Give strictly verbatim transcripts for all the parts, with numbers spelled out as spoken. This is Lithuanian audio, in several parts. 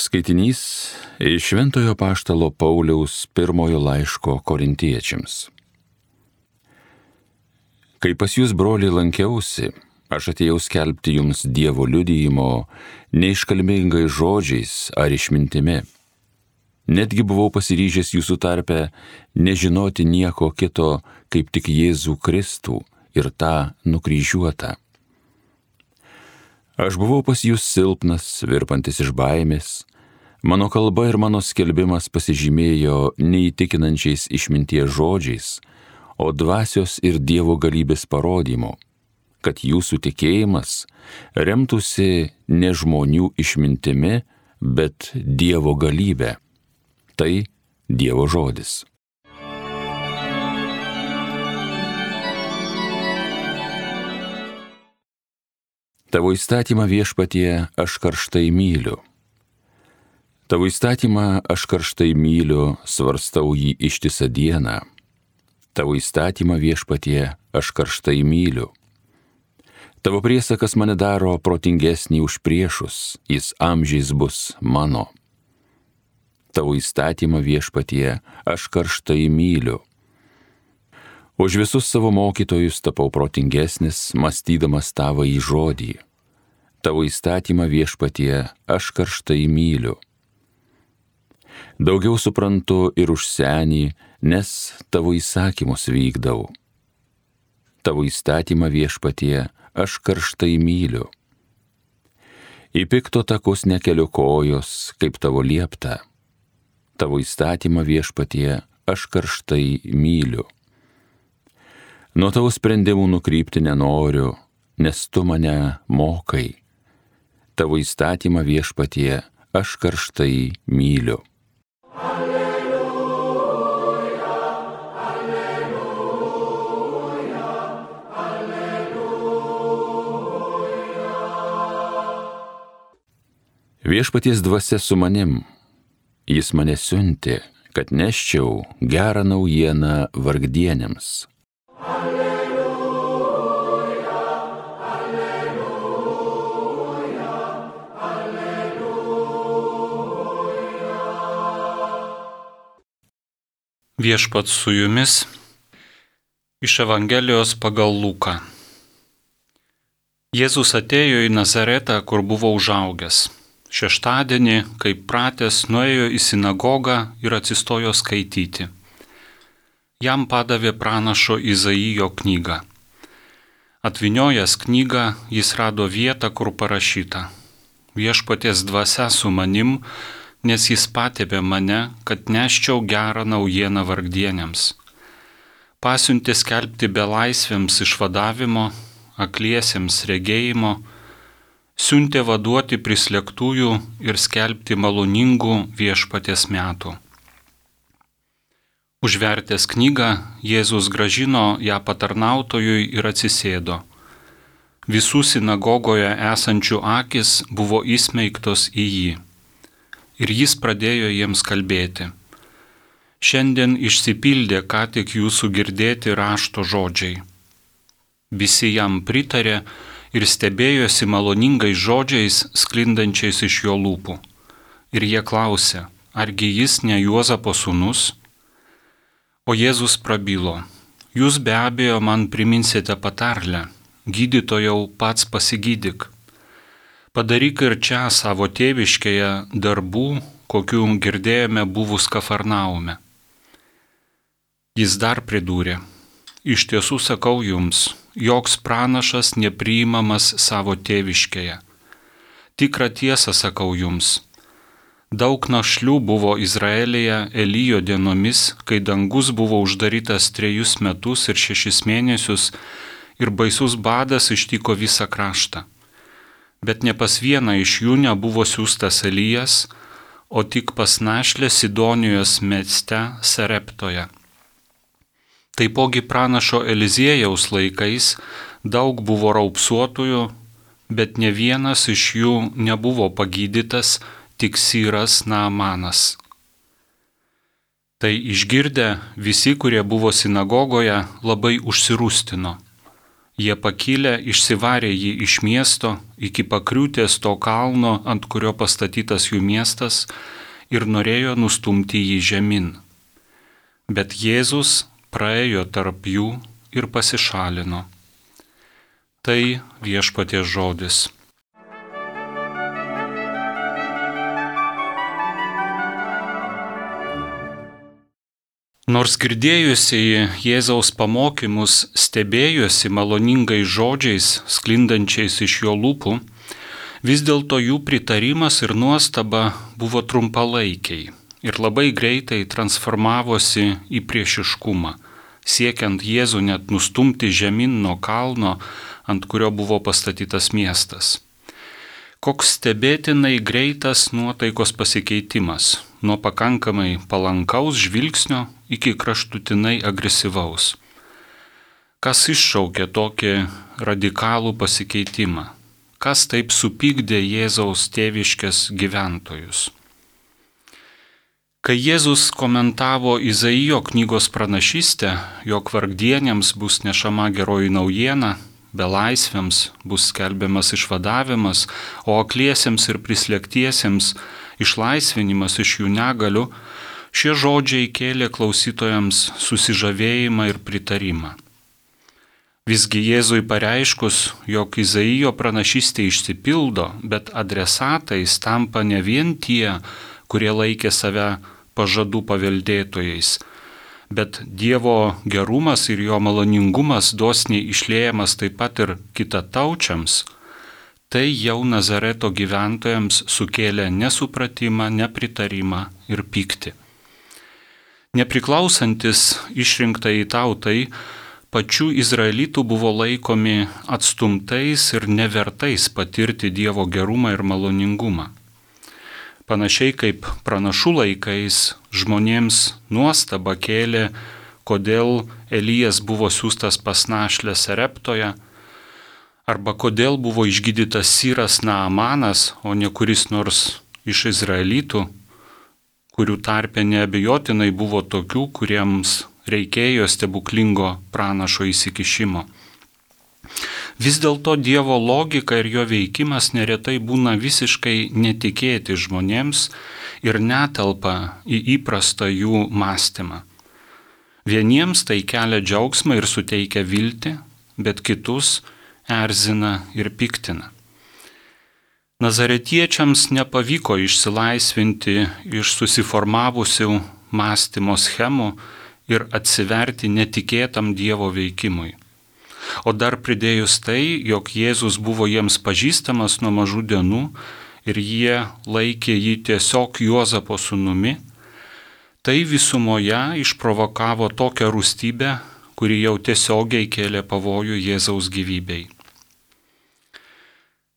Skaitinys iš Šventojo Apaštalo Pauliaus pirmojo laiško Korintiečiams. Kai pas jūs, broliai, lankiausi, aš atėjau skelbti jums Dievo liudijimo neiškalbingais žodžiais ar išmintimi. Netgi buvau pasiryžęs jūsų tarpe nežinoti nieko kito, kaip tik Jėzų Kristų ir tą nukryžiuotą. Aš buvau pas jūs silpnas, virpantis iš baimės. Mano kalba ir mano skelbimas pasižymėjo neįtikinančiais išminties žodžiais, o dvasios ir Dievo galybės parodymu, kad jūsų tikėjimas remtųsi ne žmonių išmintimi, bet Dievo galybė. Tai Dievo žodis. Tavo įstatymą, Viešpatie, aš karštai myliu. Tavo įstatymą aš karštai myliu, svarstau jį ištisą dieną. Tavo įstatymą, Viešpatie, aš karštai myliu. Tavo priesakas mane daro protingesnį už priešus, jis amžiais bus mano. Tavo įstatymą, Viešpatie, aš karštai myliu. Už visus savo mokytojus tapau protingesnis, mąstydamas tavąjį žodį. Tavo įstatymą, Viešpatie, aš karštai myliu. Daugiau suprantu ir už senį, nes tavo įsakymus vykdau. Tavo įstatymą, Viešpatie, aš karštai myliu. Į pikto takus nekeliu kojos, kaip tavo liepta. Tavo įstatymą, Viešpatie, aš karštai myliu. Nuo tavo sprendimų nukrypti nenoriu, nes tu mane mokai. Tavo įstatymą, Viešpatie, aš karštai myliu. Alleluja, alleluja, alleluja. Viešpaties dvasia su manim, jis mane siuntė, kad neščiau gerą naujieną vargdienėms. Alleluja, alleluja, alleluja. Viešpats su jumis iš Evangelijos pagal Luką. Jėzus atėjo į Nazaretą, kur buvo užaugęs. Šeštadienį, kaip pratęs, nuėjo į sinagogą ir atsistojo skaityti. Jam padavė pranašo Izaijo knygą. Atvyniojęs knygą, jis rado vietą, kur parašyta: Viešpaties dvasia su manim, nes jis patepė mane, kad neščiau gerą naujieną vargdienėms. Pasiuntė skelbti belaisvėms išvadavimo, akliesiems regėjimo, siuntė vaduoti prislėgtųjų ir skelbti maloningų Viešpaties metų. Užvertęs knygą, Jėzus grąžino ją patarnautojui ir atsisėdo. Visų sinagogoje esančių akys buvo įsmeigtos į jį. Ir jis pradėjo jiems kalbėti: Šiandien išsipildė ką tik jūsų girdėti rašto žodžiai. Visi jam pritarė ir stebėjosi maloningais žodžiais sklindančiais iš jo lūpų. Ir jie klausė: argi jis ne Juozapo sūnus? O Jėzus prabilo: Jūs be abejo man priminsite patarlę: gydytojau, pats pasigydyk. Padaryk ir čia savo tėviškėje darbų, kokių girdėjome buvus Kafarnaume. Jis dar pridūrė: Iš tiesų sakau jums, joks pranašas nepriimamas savo tėviškėje. Tikrą tiesą sakau jums, daug našlių buvo Izraelyje Elijo dienomis, kai dangus buvo uždarytas trejus metus ir šešis mėnesius ir baisus badas ištiko visą kraštą. Bet ne pas vieną iš jų nebuvo siųstas Elijas, o tik pas našlę Sidonijos mieste Sareptoje. Taipogi pranašo Eliziejaus laikais daug buvo raupsuotųjų, bet ne vienas iš jų nebuvo pagydytas, tik Syras Naamanas. Tai išgirdę, visi, kurie buvo sinagogoje, labai užsirūstino. Jie pakilę išsivarė jį iš miesto iki pakriūtės to kalno, ant kurio pastatytas jų miestas, ir norėjo nustumti jį žemyn. Bet Jėzus praėjo tarp jų ir pasišalino. Tai Viešpaties žodis. Nors girdėjusieji Jėzaus pamokymus stebėjosi maloningais žodžiais, sklindančiais iš jo lūpų, vis dėlto jų pritarimas ir nuostaba buvo trumpalaikiai ir labai greitai transformavosi į priešiškumą, siekiant Jėzų net nustumti žemyn nuo kalno, ant kurio buvo pastatytas miestas. Koks stebėtinai greitas nuotaikos pasikeitimas, nuo pakankamai palankaus žvilgsnio iki kraštutinai agresyvaus. Kas iššaukė tokį radikalų pasikeitimą? Kas taip supykdė Jėzaus tėviškės gyventojus? Kai Jėzus komentavo Izaijo knygos pranašystę, jog vargdieniams bus nešama geroji naujiena, belaisviams bus skelbiamas išvadavimas, o akliesiems ir prislėgtiesiems išlaisvinimas iš jų negalių, šie žodžiai kėlė klausytojams susižavėjimą ir pritarimą. Visgi Jėzui pareiškus, jog Izaijo pranašystė išsipildo, bet adresatais tampa ne vien tie, kurie laikė save pažadų paveldėtojais, bet Dievo gerumas ir jo maloningumas dosniai išliejamas taip pat ir kitataučiams, tai jau Nazareto gyventojams sukėlė nesupratimą, nepritarimą ir pyktį. Nepriklausantis išrinktai tautai, pačių izraelitų buvo laikomi atstumtais ir nevertais patirti Dievo gerumą ir maloningumą. Panašiai kaip pranašų laikais žmonėms nuostaba kėlė, kodėl Elijas buvo siųstas pas našlę Sereptoje, arba kodėl buvo išgydytas Syras Naamanas, o ne kuris nors iš izraelitų, kurių tarpe neabejotinai buvo tokių, kuriems reikėjo stebuklingo pranašo įsikišimo. Vis dėlto Dievo logika ir jo veikimas neretai būna visiškai netikėti žmonėms ir netelpa į įprastą jų mąstymą. Vieniems tai kelia džiaugsmą ir suteikia viltį, bet kitus erzina ir piktina. Nazaretiečiams nepavyko išsilaisvinti iš susiformavusių mąstymo schemų ir atsiverti netikėtam Dievo veikimui. O dar pridėjus tai, jog Jėzus buvo jiems pažįstamas nuo mažų dienų ir jie laikė jį tiesiog Juozapo sūnumi, tai visumoje išprovokavo tokią rūstybę, kuri jau tiesiogiai kėlė pavojų Jėzaus gyvybei.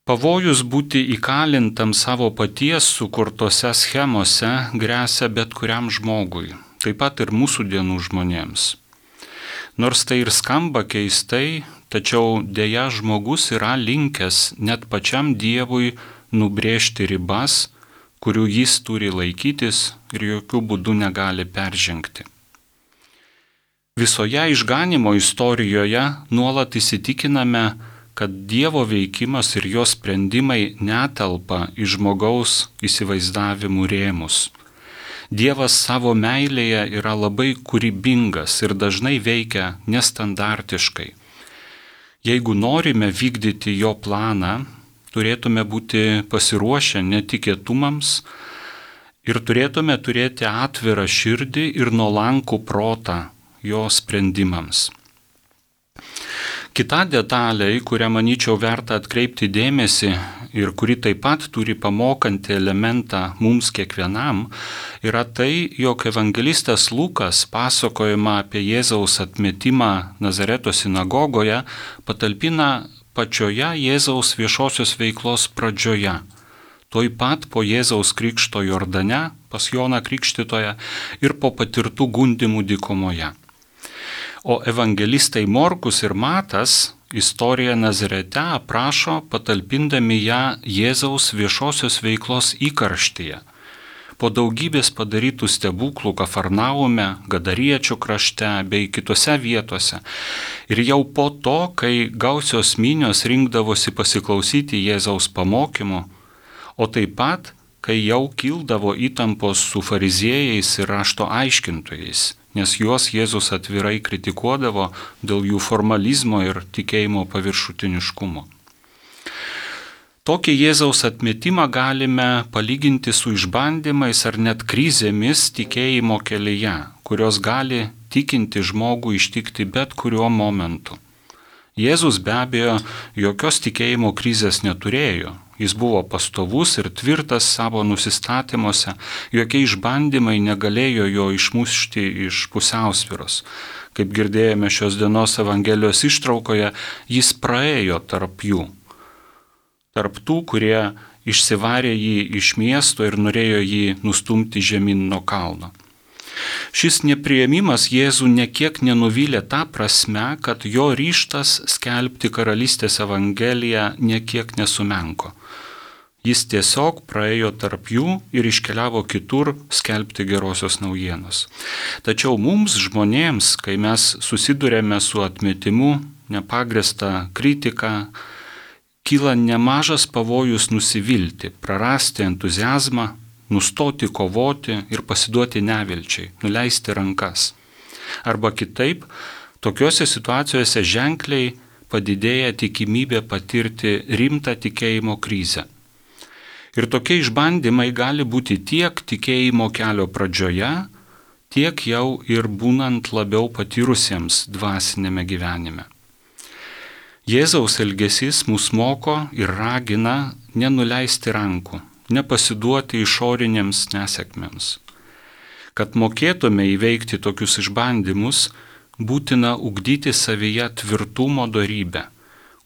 Pavojus būti įkalintam savo paties sukurtose schemose gresia bet kuriam žmogui, taip pat ir mūsų dienų žmonėms. Nors tai ir skamba keistai, tačiau dėja žmogus yra linkęs net pačiam Dievui nubrėžti ribas, kurių jis turi laikytis ir jokių būdų negali peržengti. Visoje išganimo istorijoje nuolat įsitikiname, kad Dievo veikimas ir jo sprendimai netelpa į žmogaus įsivaizdavimų rėmus. Dievas savo meilėje yra labai kūrybingas ir dažnai veikia nestandartiškai. Jeigu norime vykdyti jo planą, turėtume būti pasiruošę netikėtumams ir turėtume turėti atvirą širdį ir nuolankų protą jo sprendimams. Kita detalė, į kurią manyčiau verta atkreipti dėmesį ir kuri taip pat turi pamokantį elementą mums kiekvienam, yra tai, jog evangelistas Lukas pasakojimą apie Jėzaus atmetimą Nazareto sinagogoje patalpina pačioje Jėzaus viešosios veiklos pradžioje, tuoj pat po Jėzaus krikšto Jordane, pas Joną Krikštytoją ir po patirtų gundymų dykumoje. O evangelistai Morkus ir Matas istoriją Nazarete aprašo patalpindami ją Jėzaus viešosios veiklos įkarštyje, po daugybės padarytų stebuklų Kafarnaume, Gadariečių krašte bei kitose vietose. Ir jau po to, kai gausios minios rinkdavosi pasiklausyti Jėzaus pamokymų, o taip pat, kai jau kildavo įtampos su fariziejais ir rašto aiškintojais, nes juos Jėzus atvirai kritikuodavo dėl jų formalizmo ir tikėjimo paviršutiniškumo. Tokį Jėzaus atmetimą galime palyginti su išbandymais ar net krizėmis tikėjimo kelyje, kurios gali tikinti žmogų ištikti bet kuriuo momentu. Jėzus be abejo jokios tikėjimo krizės neturėjo. Jis buvo pastovus ir tvirtas savo nusistatymuose, jokie išbandymai negalėjo jo išmušti iš pusiausvyros. Kaip girdėjome šios dienos Evangelijos ištraukoje, jis praėjo tarp jų. Tarp tų, kurie išsivarė jį iš miesto ir norėjo jį nustumti žemyn nuo kalno. Šis nepriėmimas Jėzų nekiek nenuvylė tą prasme, kad jo ryžtas skelbti karalystės evangeliją nekiek nesumenko. Jis tiesiog praėjo tarp jų ir iškeliavo kitur skelbti gerosios naujienos. Tačiau mums žmonėms, kai mes susidurėme su atmetimu, nepagrįsta kritika, kyla nemažas pavojus nusivilti, prarasti entuziazmą, nustoti kovoti ir pasiduoti nevilčiai, nuleisti rankas. Arba kitaip, tokiuose situacijose ženkliai padidėja tikimybė patirti rimtą tikėjimo krizę. Ir tokie išbandymai gali būti tiek tikėjimo kelio pradžioje, tiek jau ir būnant labiau patyrusiems dvasinėme gyvenime. Jėzaus elgesys mus moko ir ragina nenuleisti rankų, nepasiduoti išorinėms nesėkmėms. Kad mokėtume įveikti tokius išbandymus, būtina ugdyti savyje tvirtumo dorybę,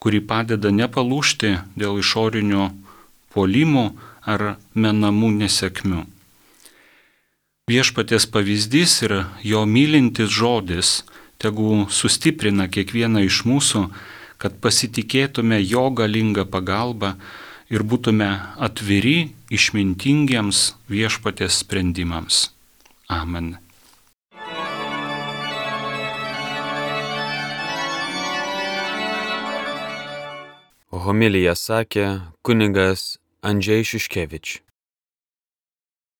kuri padeda nepalūžti dėl išorinių puolimų ar menamų nesėkmių. Viešpaties pavyzdys ir jo mylintis žodis tegu sustiprina kiekvieną iš mūsų, kad pasitikėtume jo galingą pagalbą ir būtume atviri išmintingiems viešpaties sprendimams. Amen. Homiliją sakė kunigas Andžej Šiškevič.